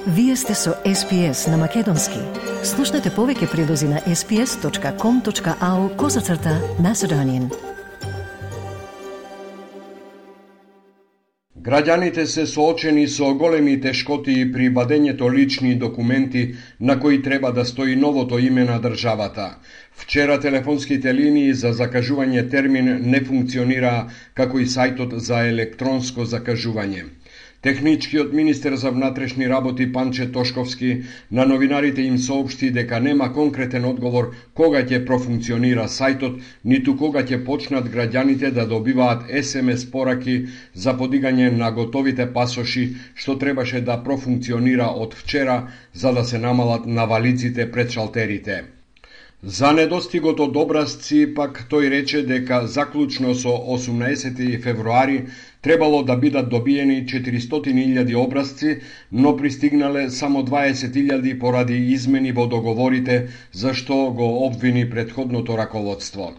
Вие сте со SPS на Македонски. Слушнете повеќе прилози на sps.com.au/Macedonian. Граѓаните се соочени со големи тешкоти при вадењето лични документи на кои треба да стои новото име на државата. Вчера телефонските линии за закажување термин не функционираа, како и сајтот за електронско закажување. Техничкиот министер за внатрешни работи Панче Тошковски на новинарите им соопшти дека нема конкретен одговор кога ќе профункционира сајтот, ниту кога ќе почнат граѓаните да добиваат SMS пораки за подигање на готовите пасоши, што требаше да профункционира од вчера за да се намалат навалиците пред шалтерите. За недостигот од образци, пак тој рече дека заклучно со 18 февруари требало да бидат добиени 400.000 образци, но пристигнале само 20.000 поради измени во договорите, за што го обвини претходното раководство.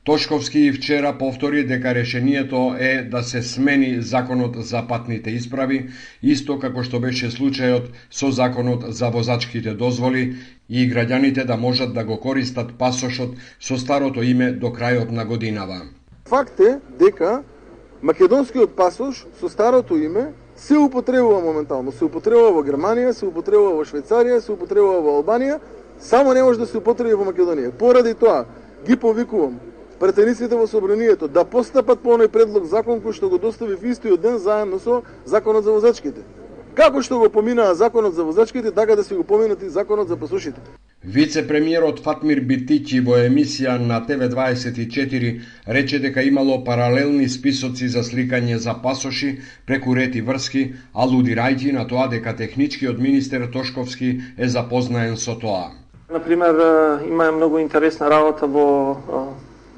Тошковски вчера повтори дека решението е да се смени законот за патните исправи, исто како што беше случајот со законот за возачките дозволи и граѓаните да можат да го користат пасошот со старото име до крајот на годинава. Факт е дека македонскиот пасош со старото име се употребува моментално. Се употребува во Германија, се употребува во Швајцарија, се употребува во Албанија, само не може да се употреби во Македонија. Поради тоа ги повикувам претениците во собранието да постапат по оној предлог закон кој што го достави в истиот ден заедно со законот за возачките. Како што го поминаа законот за возачките, така да се го поминат и законот за пасошите. Вице-премиерот Фатмир Битичи во емисија на TV24 рече дека имало паралелни списоци за сликање за пасоши преку рети врски, алудирајќи на тоа дека техничкиот министер Тошковски е запознаен со тоа. Например, има многу интересна работа во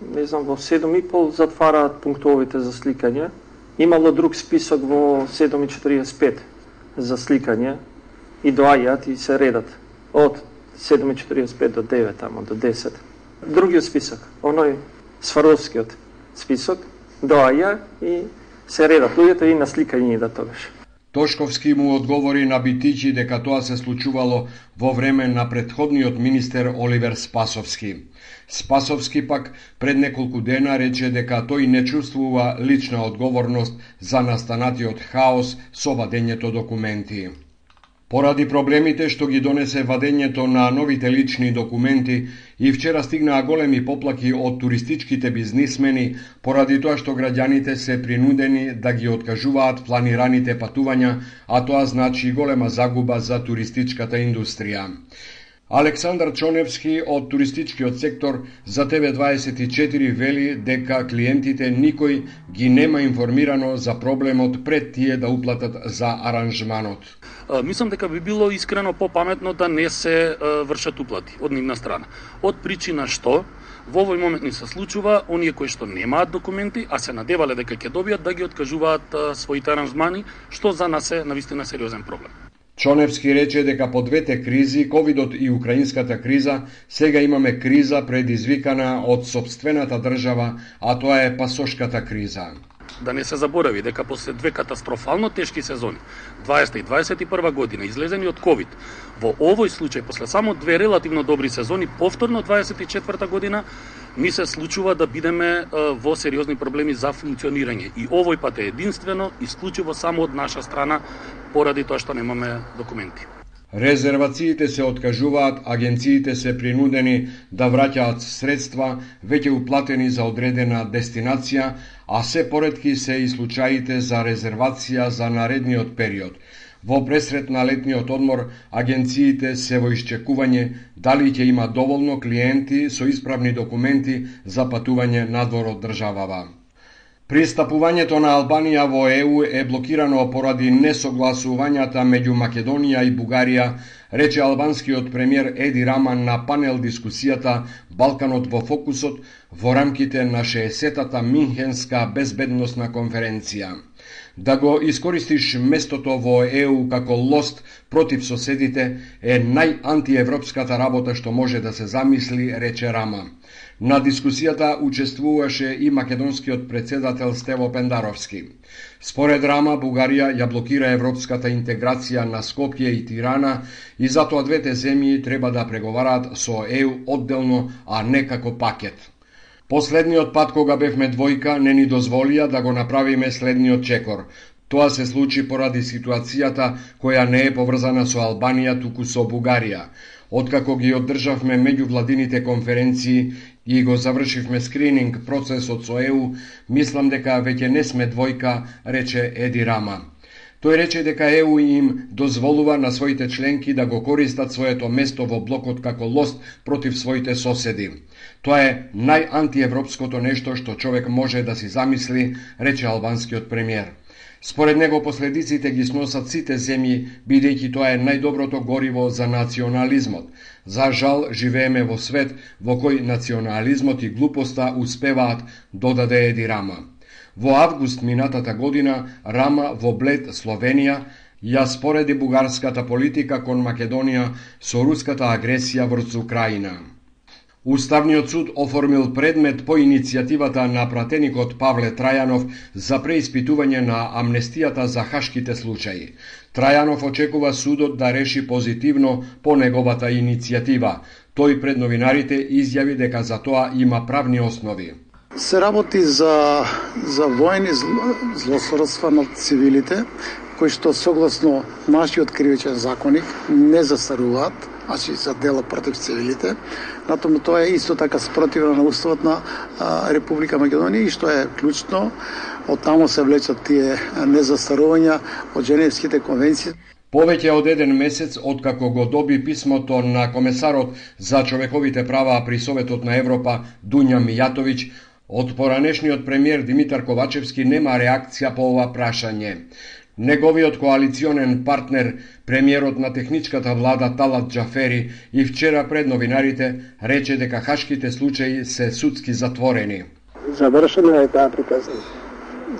во 7:30 затвараат пунктовите за сликање. Имало друг список во 7:45 за сликање и доаѓаат и се редат од 7:45 до 9, тамо до 10. Другиот список, оној Сваровскиот список, доаѓа и се редат луѓето и на сликање идат тогаш. Тошковски му одговори на Битичи дека тоа се случувало во време на претходниот министер Оливер Спасовски. Спасовски пак пред неколку дена рече дека тој не чувствува лична одговорност за настанатиот хаос со вадењето документи. Поради проблемите што ги донесе вадењето на новите лични документи, и вчера стигнаа големи поплаки од туристичките бизнисмени, поради тоа што граѓаните се принудени да ги откажуваат планираните патувања, а тоа значи голема загуба за туристичката индустрија. Александар Чоневски од туристичкиот сектор за TV24 вели дека клиентите никој ги нема информирано за проблемот пред тие да уплатат за аранжманот. Мислам дека би било искрено попаметно да не се вршат уплати од нивна страна. Од причина што во овој момент ни се случува оние кои што немаат документи, а се надевале дека ќе добијат, да ги откажуваат своите аранжмани, што за нас е навистина сериозен проблем. Чоневски рече дека по двете кризи, ковидот и украинската криза, сега имаме криза предизвикана од сопствената држава, а тоа е пасошката криза. Да не се заборави дека после две катастрофално тешки сезони, 20 и 21 година, излезени од ковид, во овој случај, после само две релативно добри сезони, повторно 24 година, ни се случува да бидеме во сериозни проблеми за функционирање. И овој пат е единствено, исклучиво само од наша страна, поради тоа што немаме документи. Резервациите се откажуваат, агенциите се принудени да враќаат средства веќе уплатени за одредена дестинација, а се поретки се и случаите за резервација за наредниот период. Во пресрет на летниот одмор, агенциите се во исчекување дали ќе има доволно клиенти со исправни документи за патување надвор од државава. Пристапувањето на Албанија во ЕУ е блокирано поради несогласувањата меѓу Македонија и Бугарија, рече албанскиот премиер Еди Рама на панел дискусијата Балканот во фокусот во рамките на 60-та Минхенска безбедносна конференција. Да го искористиш местото во ЕУ како лост против соседите е најантиевропската работа што може да се замисли, рече Рама. На дискусијата учествуваше и македонскиот председател Стево Пендаровски. Според Рама, Бугарија ја блокира европската интеграција на Скопје и Тирана и затоа двете земји треба да преговараат со ЕУ одделно, а не како пакет. Последниот пат кога бевме двојка не ни дозволија да го направиме следниот чекор. Тоа се случи поради ситуацијата која не е поврзана со Албанија, туку со Бугарија. Откако ги одржавме меѓувладините конференции и го завршивме скрининг процесот со ЕУ, мислам дека веќе не сме двојка, рече Еди Рама. Тој рече дека ЕУ им дозволува на своите членки да го користат своето место во блокот како лост против своите соседи. Тоа е најантиевропското нешто што човек може да си замисли, рече албанскиот премиер. Според него последиците ги сносат сите земји, бидејќи тоа е најдоброто гориво за национализмот. За жал, живееме во свет во кој национализмот и глупоста успеваат, додаде Еди Рама. Во август минатата година, Рама во Блед, Словенија, ја спореди бугарската политика кон Македонија со руската агресија врз Украина. Уставниот суд оформил предмет по иницијативата на пратеникот Павле Трајанов за преиспитување на амнестијата за хашките случаи. Трајанов очекува судот да реши позитивно по неговата иницијатива. Тој пред новинарите изјави дека за тоа има правни основи. Се работи за војни злосторства над цивилите, кои што согласно нашиот кривичен законник не застаруваат, значи за дела против цивилите. Натаму тоа е исто така спротивно на уставот на Република Македонија и што е клучно, од таму се влечат тие незастарувања од Женевските конвенции. Повеќе од еден месец откако го доби писмото на комесарот за човековите права при Советот на Европа Дуња Мијатовиќ, од поранешниот премиер Димитар Ковачевски нема реакција по ова прашање. Неговиот коалиционен партнер, премиерот на техничката влада Талат Џафери, и вчера пред новинарите рече дека хашките случаи се судски затворени. Завршена е таа приказна.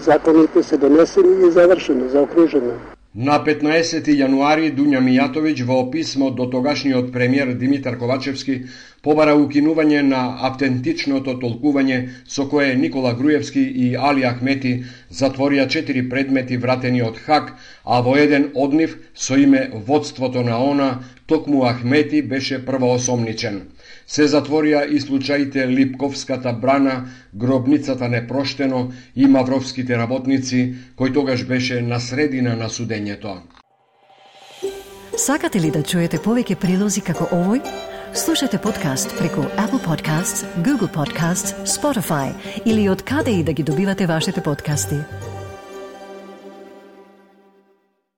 Законите се донесени и завршено, заокружено. На 15 јануари Дуња Мијатовиќ во писмо до тогашниот премиер Димитар Ковачевски побара укинување на автентичното толкување со кое Никола Груевски и Али Ахмети затворија 4 предмети вратени од Хаг, а во еден од нив со име Водството на ОНА, токму Ахмети беше првоосомничен. Се затворија и случаите Липковската брана, Гробницата непроштено и Мавровските работници, кој тогаш беше на средина на судењето. Сакате ли да чуете повеќе прилози како овој? Слушате подкаст преку Apple Podcasts, Google Podcasts, Spotify или од каде и да ги добивате вашите подкасти.